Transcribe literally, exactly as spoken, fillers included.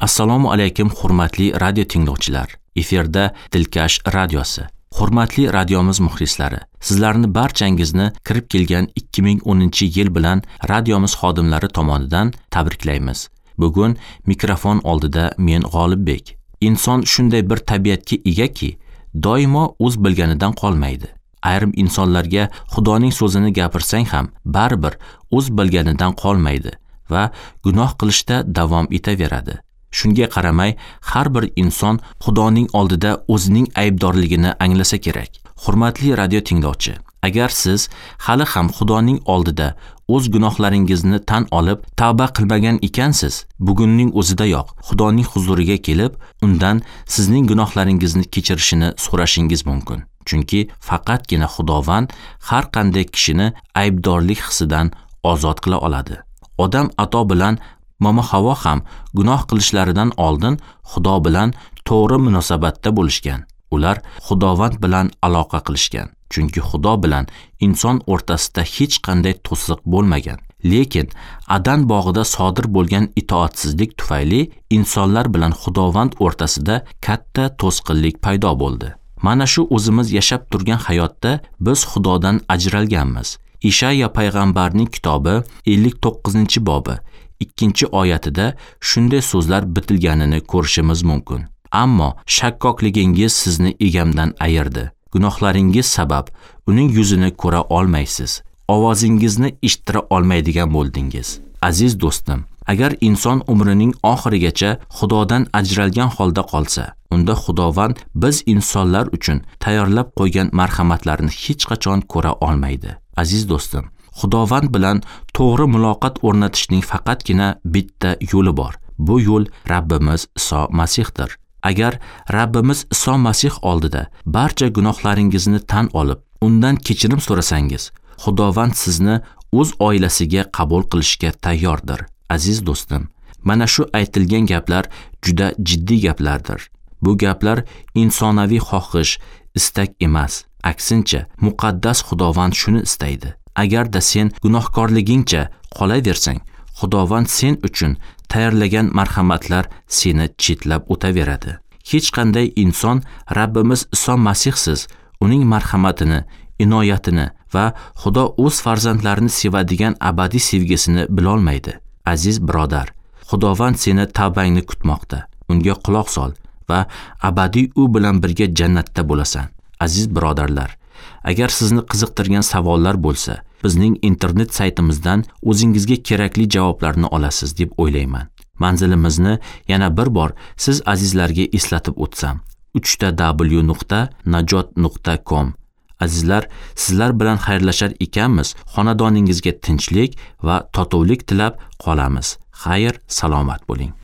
Assalomu alaykum hurmatli radio tinglovchilar. Efirda Dilkash radiosi. Hurmatli radiomiz muxlislari, sizlarni barchangizni kirib kelgan ikki ming o'ninchi yil bilan radiomiz xodimlari tomonidan tabriklaymiz. Bugun mikrofon oldida men G'olibbek. Inson shunday bir tabiatga egaki, doimo o'z bilganidan qolmaydi. Ayrim insonlarga Xudoning so'zini gapirsang ham baribir o'z bilganidan qolmaydi va gunoh qilishda davom etaveradi. Shunga qaramay, har bir inson Xudoning oldida o'zining aybdorligini anglasa kerak. Hurmatli radio tinglovchi, agar siz hali ham Xudoning oldida o'z gunohlaringizni tan olib, tavba qilmagan ekansiz, bugunning o'zidayoq Xudoning huzuriga kelib, undan sizning gunohlaringizni kechirishini so'rashingiz mumkin. Chunki faqatgina Xudovand har qanday kishini aybdorlik hissidan ozod qila oladi. Odam ato bilan Momo Havo ham gunoh qilishlaridan oldin Xudo bilan to'g'ri munosabatda bo'lishgan. Ular Xudovand bilan aloqa qilishgan. Chunki Xudo bilan inson o'rtasida hech qanday to'siq bo'lmagan. Lekin Adan bog'ida sodir bo'lgan itoatsizlik tufayli insonlar bilan Xudovand o'rtasida katta to'sqinlik paydo bo'ldi. Mana shu o'zimiz yashab turgan hayotda biz Xudodan ajralganmiz. Ishaya payg'ambarning kitobi ellik to'qqizinchi bobi ikkinchi oyatida shunday so'zlar bitilganini ko'rishimiz mumkin. Ammo shakkokligingiz sizni egamdan ayirdi. Gunohlaringiz sabab uning yuzini ko'ra olmaysiz. Ovozingizni eshittira olmaydigan bo'ldingiz. Aziz do'stim, agar inson umrining oxirigacha Xudodan ajralgan holda qolsa, unda Xudovand biz insonlar uchun tayyorlab qo'ygan marhamatlarni hech qachon ko'ra olmaydi. Aziz do'stim, Xudovand bilan to'g'ri muloqot o'rnatishning faqatgina bitta yo'li bor. Bu yo'l Rabbimiz Iso Masihdir. Agar Rabbimiz Iso Masih oldida barcha gunohlaringizni tan olib, undan kechirim so'rasangiz, Xudovand sizni o'z oilasiga qabul qilishga tayyordir. Aziz do'stim, mana shu aytilgan gaplar juda jiddiy gaplardir. Bu gaplar insonaviy xohish, istak emas. Aksincha, muqaddas Xudovand shuni istaydi. Agarda sen gunohkorligingcha qolaversang, Xudovand sen uchun tayyorlagan marhamatlar seni chetlab o'taveradi. Hech qanday inson Rabbimiz Iso Masihsiz uning marhamatini, inoyatini va Xudo o'z farzandlarini sevadigan abadiy sevgisini bilolmaydi. Aziz birodar, Xudovand seni tavbangni kutmoqda. Unga quloq sol va abadiy u bilan birga jannatda bo'lasan. Aziz birodarlar, agar sizni qiziqtirgan savollar bo'lsa, bizning internet saytimizdan o'zingizga kerakli javoblarni olasiz deb o'ylayman. Manzilimizni yana bir bor siz azizlarga eslatib o'tsam: uchta w nuqta najot nuqta com. Azizlar, sizlar bilan xayrlashar ekanmiz, xonadoningizga tinchlik va totuvlik tilab qolamiz. Xayr, salomat bo'ling.